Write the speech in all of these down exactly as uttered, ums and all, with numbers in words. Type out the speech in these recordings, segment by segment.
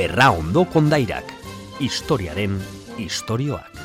Berraondo kondairak, historiaren istorioak.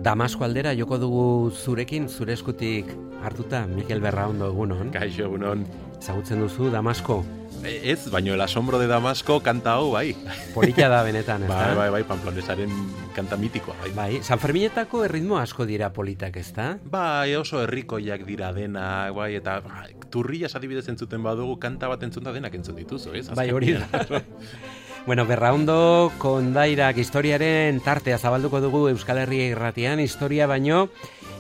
Damasko aldera joko dugu zurekin, zure eskutik hartuta, Mikel Berraondo, egunon. Kaixo, egunon. Ezagutzen duzu Damasko? Ez, baino el asombro de Damasko kanta hau, bai. Polita da benetan, ez da? Bai, bai, bai, Pamplonesaren kanta mitikoa, bai. Bai, San Ferminetako erritmo asko dira politak, ez da? Bai, oso herrikoiak dira denak, bai, eta bai, turrias adibidez entzuten badugu, kanta bat entzunta denak entzun dituzu, ez? Bai, hori da. Bueno, Berraondo kondairak historiaren tartea zabalduko dugu Euskal Herria irratian, historia baino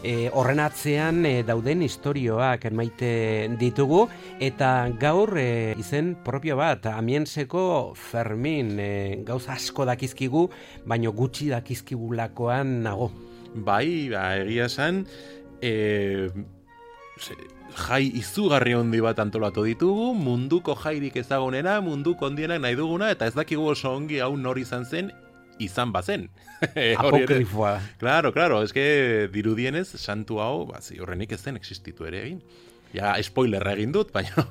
e, horren atzean e, dauden istorioak maite ditugu, eta gaur e, izen propio bat, Amienseko Fermin, e, gauza asko dakizkigu, baino gutxi dakizkigulakoan nago. Bai, ba, egia esan, e, ze, jai izugarri handi bat antolatu ditugu, munduko jairik ezagunena, munduko handienak nahi duguna, eta ez dakigu oso ongi hau nor izan zen, izan bazen. Apokrifoa. Claro, claro, eske dirudienez, santu hau, ba, horrenik ez zen existitu ere egin. Ja, spoilerra egin dut, baina...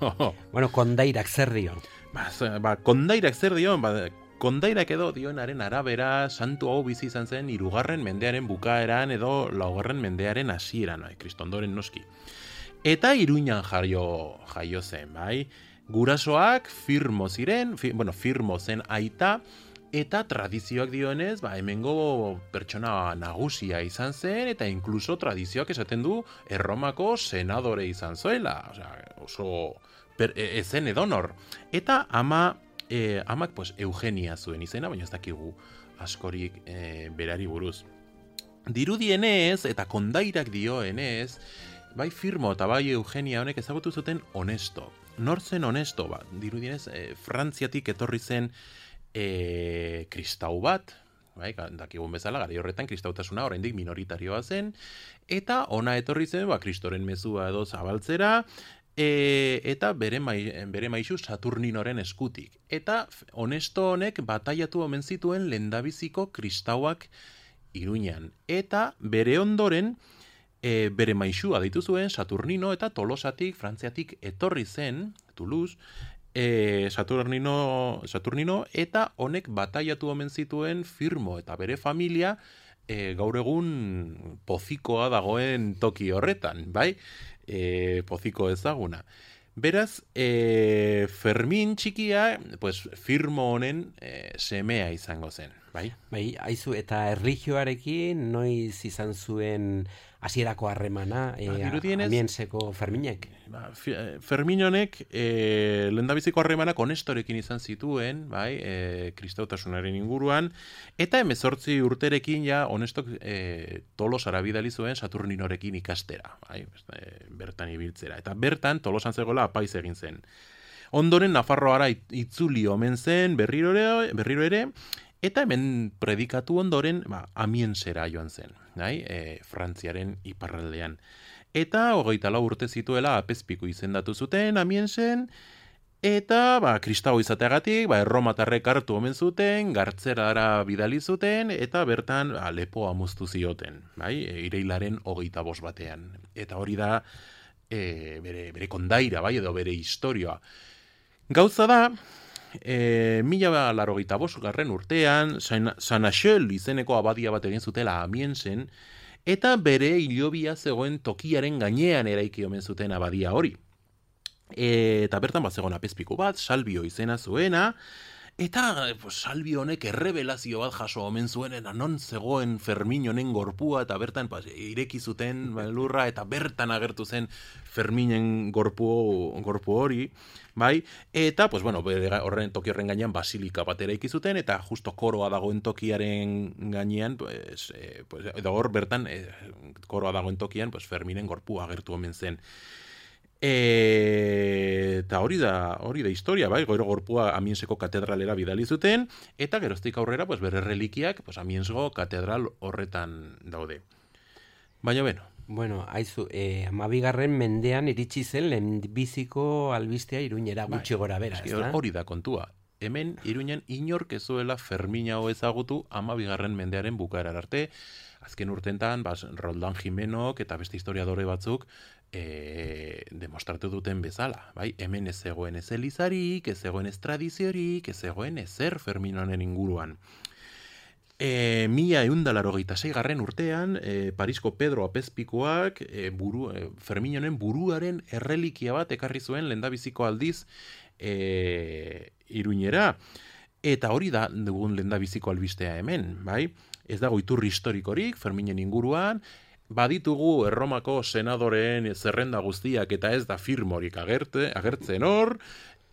Bueno, kondairak zer dio? Ba, ba kondairak zer dio, ba, kondairak edo dionaren arabera, santu hau bizi izan zen, hirugarren mendearen bukaeran edo laugarren mendearen hasieran, bai, kristondoren noski. Eta Iruñan jaio, jaio zen, bai? Gurasoak firmo ziren, fi, bueno, firmo zen aita, eta tradizioak dionez, ba, hemengo pertsona nagusia izan zen, eta inkluso tradizioak esaten du Erromako senadore izan zuela, osea, oso per, e, ezen edonor. Eta ama, e, amak pues, Eugenia zuen izena, baina ez dakigu askorik e, berari buruz. Dirudienez, eta kondairak dioenez, bai firmo eta bai Eugenia honek ezagutu zuten Honesto. Nor zen Honesto? Ba, dirudienez, e, Frantziatik etorri zen e, kristau bat, bai, dakigun bezala, gara horretan kristautasuna oraindik minoritarioa zen, eta ona etorri zen, ba, kristoren mezua edo zabaltzera, e, eta bere, mai, bere maisu Saturninoren eskutik. Eta Honesto honek bataiatu omen zituen lehendabiziko kristauak Iruñan. Eta bere ondoren, E, bere maisua deitu zuen Saturnino, eta Tolosatik, Frantziatik etorri zen, Toulouse, e, Saturnino, Saturnino, eta honek bataiatu omen zituen firmo, eta bere familia e, gaur egun pozikoa dagoen toki horretan, bai? E, poziko ezaguna. Beraz, e, Fermin txikia, pues, firmo honen e, semea izango zen, bai? Bai, aizu, eta erlijioarekin noiz izan zuen hasierako harremana e, ba, Amienseko Ferminek? Ba, Fermin honek e, lehendabiziko harremanak Honestorekin izan zituen, bai, e, kristautasunaren inguruan, eta hemezortzi urterekin ja Honestok e, Tolosara bidali zuen Saturninorekin ikastera, bai, e, bertan ibiltzera. Eta bertan Tolosan zegoela apaiz egin zen. Ondoren Nafarroara itzuli omen zen berriro ere, berriro ere eta hemen predikatu ondoren ba, Amiensera joan zen, bai? E, Frantziaren iparraldean. Eta hogeita lau urte zituela apezpiku izendatu zuten Amiensen, eta ba, kristau izateagatik ba, erromatarrek hartu omen zuten, gartzerara bidali zuten, eta bertan ba, lepoa moztu zioten, bai? E, ireilaren hogeita bost batean. Eta hori da e, bere, bere kondaira, bai, edo bere historioa. Gauza da, E, mila larogeita bost garren urtean, San Axel izeneko abadia bat egin zutela Amiensen, eta bere hilobia zegoen tokiaren gainean eraiki omen zuten abadia hori. E, eta bertan bat zegoen apezpiku bat, Salvio izena zuena, eta pues, Salvio honek errebelazio bat jaso omen zuen, eta non zegoen Fermin honen gorpua, eta bertan pues, ireki zuten lurra, eta bertan agertu zen Ferminen gorpu, gorpu hori, bai, eta, pues, bueno, horren toki horren gainean basilika bat eraiki zuten, eta justo koroa dagoen tokiaren gainean, pues, eh, pues, edo hor bertan, eh, koroa dagoen tokian, pues, Ferminen gorpua agertu omen zen. E, eta hori da, hori da historia, bai, gero gorpua Amienseko katedralera bidali zuten, eta geroztik aurrera, pues, bere relikiak, pues, Amiensgo katedral horretan daude. Baina, beno. Bueno, aizu, eh, amabigarren mendean iritsi zen lehenbiziko albistea Iruñera gutxi gora bera, ez da? Hori da kontua. Hemen Iruñan inork ez zuela Fermin hau ezagutu amabigarren mendearen bukaerar arte. Azken urtentan, bas, Roldán Jimenok eta beste historiadore batzuk e, demostratu duten bezala, bai? Hemen ez zegoen ez elizarik, ez zegoen ez tradiziorik, ez zegoen ezer Fermin honen inguruan. E, mila eundalaro geita garren urtean, e, Parisko Pedro Apezpikuak e, buru, e, Fermin honen buruaren errelikia bat ekarri zuen lehendabiziko aldiz e, Iruñera. Eta hori da dugun lehendabiziko albistea hemen, bai? Ez dago iturri historikorik Ferminen inguruan, baditugu Erromako senadoreen zerrenda guztiak eta ez da firmorik agerte, agertzen hor,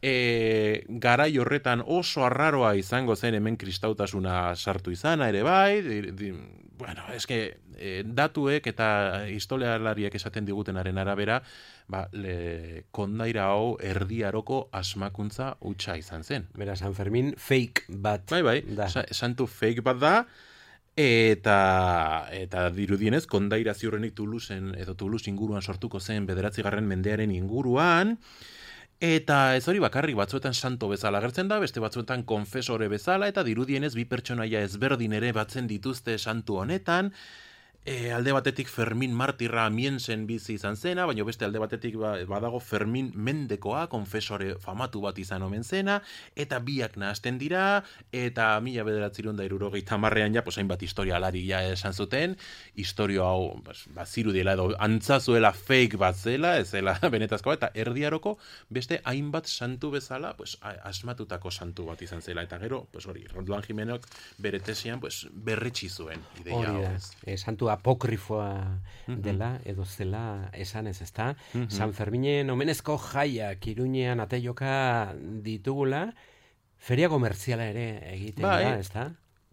e, garai horretan oso arraroa izango zen hemen kristautasuna sartu izana ere bai, di, di, bueno, eske e, datuek eta historialariek esaten digutenaren arabera, ba, le, kondaira hau erdiaroko asmakuntza hutsa izan zen. Bera, San Fermin fake bat. Bai, bai, da. Sa, santu fake bat da, eta eta dirudienez kondaira ziurrenik Toulouseen edo Toulouse inguruan sortuko zen bederatzigarren mendearen inguruan, eta ez hori bakarrik batzuetan santo bezala agertzen da, beste batzuetan konfesore bezala, eta dirudienez bi pertsonaia ezberdin ere batzen dituzte santu honetan. E, alde batetik Fermin martirra Amiensen bizi izan zena, baina beste alde batetik ba, badago Fermin mendekoa, konfesore famatu bat izan omen zena, eta biak nahasten dira, eta mila bederatzirun da irurogeita marrean ja, pues, hainbat historialari ja esan zuten, historio hau, pues, ba, zirudiela edo antzazuela fake bat zela, ez zela benetazkoa, eta erdiaroko beste hainbat santu bezala, pues, asmatutako santu bat izan zela, eta gero, pues, hori, Rondoan Jimenok bere tesian, pues, berretsi zuen ideia hau. Hori da, e, santu apokrifoa dela, edo zela esan ez, ezta? Mm-hmm. San Ferminen omenezko jaiak Iruñean ateioka ditugula, feria komertziala ere egiten bai, da, ezta?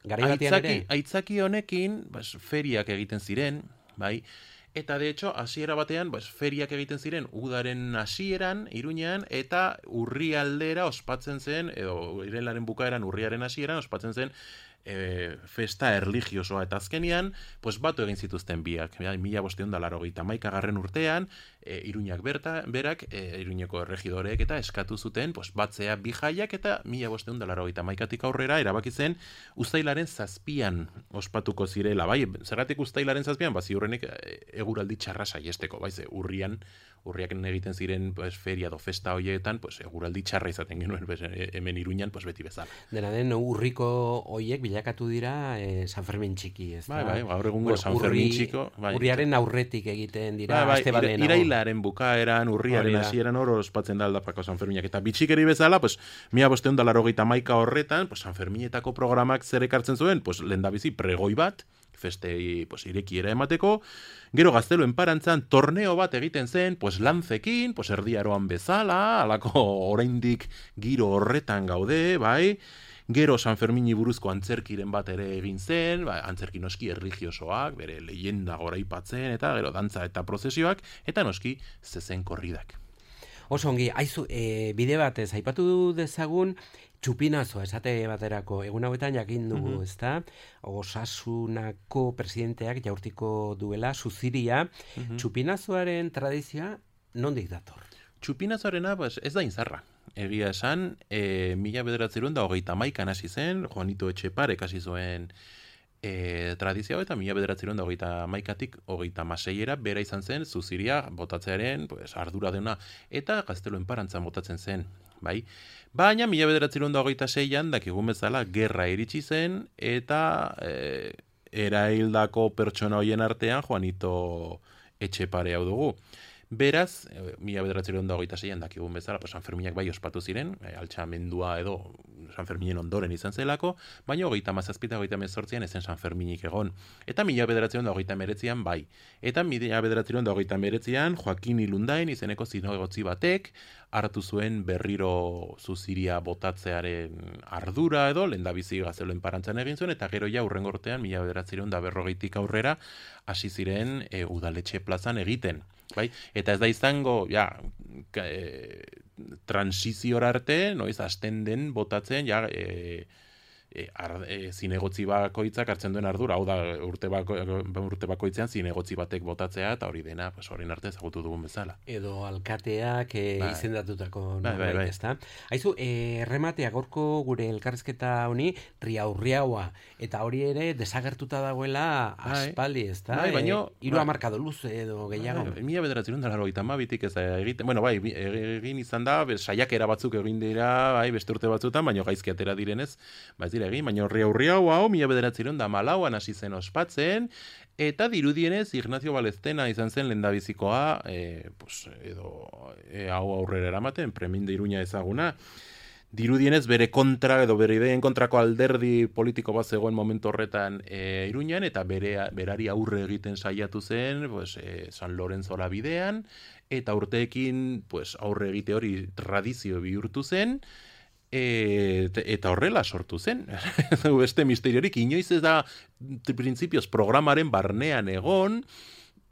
Garai batean ere? Aitzaki honekin, bas, feriak egiten ziren, bai, eta de hecho, hasiera batean, bas, feriak egiten ziren udaren hasieran, Iruñean, eta urrialdera ospatzen zen, edo irailaren bukaeran urriaren hasieran ospatzen zen, E, festa erligiosoa eta azkenian, pues batu egin zituzten biak. Mila bosteun da larogeita maikagarren urtean, e, Iruñak berta, berak, e, Iruñeko erregidorek eta eskatu zuten, pues batzea bi jaiak eta mila bosteun da larogeita maikatik aurrera erabaki zen uztailaren zazpian ospatuko zirela. Bai, zergatik uztailaren zazpian, ba ziurrenik eguraldi txarra saiesteko, bai, ze urrian, urriak egiten ziren pues, feria do festa hoietan, pues, eguraldi txarra izaten genuen pues, hemen Iruñan pues, beti bezala. Dena den, urriko hoiek bilakatu dira eh, San Fermin txiki, ez da? Bai, bai, gaur egungo bueno, San Fermin txiko. Bai, urriaren aurretik egiten dira, bai, aste bai, ira, irailaren bukaeran, urriaren hasieran hor ospatzen da aldapako San Ferminak. Eta bitxikeri bezala, pues, mila bosteun da larogeita maika horretan, pues, San Ferminetako programak zer ekartzen zuen, pues, lehendabizi pregoi bat, festei pues, irekiera emateko, gero gazteluen parantzan torneo bat egiten zen, pues, lantzekin, pues, erdiaroan bezala, alako oraindik giro horretan gaude, bai, gero San Fermini buruzko antzerkiren bat ere egin zen, ba, antzerki noski erligiosoak, bere leyenda goraipatzen, eta gero dantza eta prozesioak, eta noski zezen korridak. Oso ongi, aizu, e, bide batez, aipatu dezagun, txupinazoa, esate baterako, egun hauetan jakin dugu, mm-hmm. ezta? Osasunako presidenteak jaurtiko duela, Zuziria, mm-hmm. txupinazoaren tradizioa nondik dator? Txupinazoarena pues, ez da inzarra. Egia esan, e, mila bederatzerun da hogeita maikan hasi zen, Juanito Etxeparek hasi zuen e, tradizioa, eta mila bederatzerun da hogeita maikatik hogeita maseiera, bera izan zen, Zuziria botatzearen pues, ardura deuna, eta gazteluen parantzan botatzen zen, bai? Baina, mila bederatzerun da hogeita seian, dakigun bezala, gerra iritsi zen, eta e, eraildako pertsona hoien artean, Juanito Etxepare hau dugu. Beraz, mila bederatzerun da hogeita seian dakigun bezala, pues, San Ferminak bai ospatu ziren, e, altxamendua edo San Ferminen ondoren izan zelako, baina hogeita mazazpita hogeita mezortzian ezen San Ferminik egon. Eta mila bederatzerun da hogeita meretzian bai. Eta mila bederatzerun da hogeita meretzian Joaquin Ilundain izeneko zinegotzi batek hartu zuen berriro Zuziria botatzearen ardura edo, lehendabizi gazteluen parantzan egin zuen, eta gero ja urrengortean mila bederatzerun da berrogeitik aurrera hasi ziren e, udaletxe plazan egiten. Bai? Eta ez da izango, ja, e, transiziora arte, noiz, hasten den botatzen, ja, e, e, ar, e, zinegotzi bakoitzak hartzen duen ardura, hau da urte, bako, urte bakoitzean zinegotzi batek botatzea, eta hori dena, pues, horien arte ezagutu dugun bezala. Edo alkateak e, bai. izendatutako bai, bai, bai. ezta? Haizu, e, errematea gorko gure elkarrizketa honi riaurriaua, eta hori ere desagertuta dagoela aspaldi, ezta? Bai, baino, e, hiru hamarkado luze edo gehiago. Bai, mila bederatzen da laurogeita hamabitik ez da egiten, bueno, bai, egin izan da, saiakera batzuk egin dira, bai, beste urte batzutan, baino gaizki atera direnez, ba ez dira egin, baino riaurriau hau, mila bederatzen da malauan hasi zen ospatzen, eta dirudienez Ignacio Baleztena izan zen lehendabizikoa, e, pues, edo e, hau aurrera eramaten, Premin de Iruña ezaguna, dirudienez bere kontra edo bere ideen kontrako alderdi politiko bat zegoen momentu horretan e, Iruñan, eta bere, berari aurre egiten saiatu zen pues, e, San Lorenzora bidean, eta urteekin pues, aurre egite hori tradizio bihurtu zen, e, eta horrela sortu zen. Beste misteriorik, inoiz ez da printzipioz programaren barnean egon,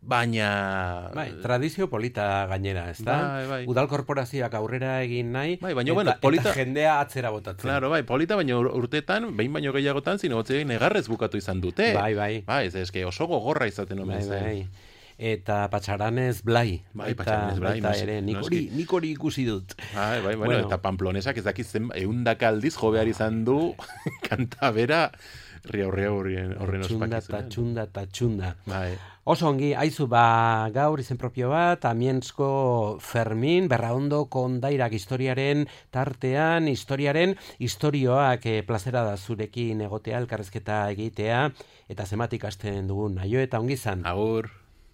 baina... Bai, tradizio polita gainera, ez da? Bai, bai. Udal korporazioak aurrera egin nahi, bai, baina, eta, bueno, polita... eta jendea atzera botatzen. Claro, bai, polita, baina urtetan, behin baino gehiagotan, zinegotzeak negarrez bukatu izan dute. Bai, bai. Bai, ez eske oso gogorra izaten omen bai, zen. bai. Eta Patxaranez Blai. Bai, Patxaranez Blai. Baita ere, nik hori, nik hori ikusi dut. Bai, bai, bueno, bueno. Eta Pamplonesak ez dakiz zen, eundaka aldiz jo behar izan du, kanta bera, riaurria horren ospakizunean. Txunda, txunda, txunda. Bai. Oso ongi, haizu, ba, gaur izen propio bat, Amientzko Fermin, Berraondo Kondairak historiaren tartean, historiaren historioak e, plazera da zurekin egotea, elkarrezketa egitea, eta zematik hasten dugun, aio eta ongi izan. Agur.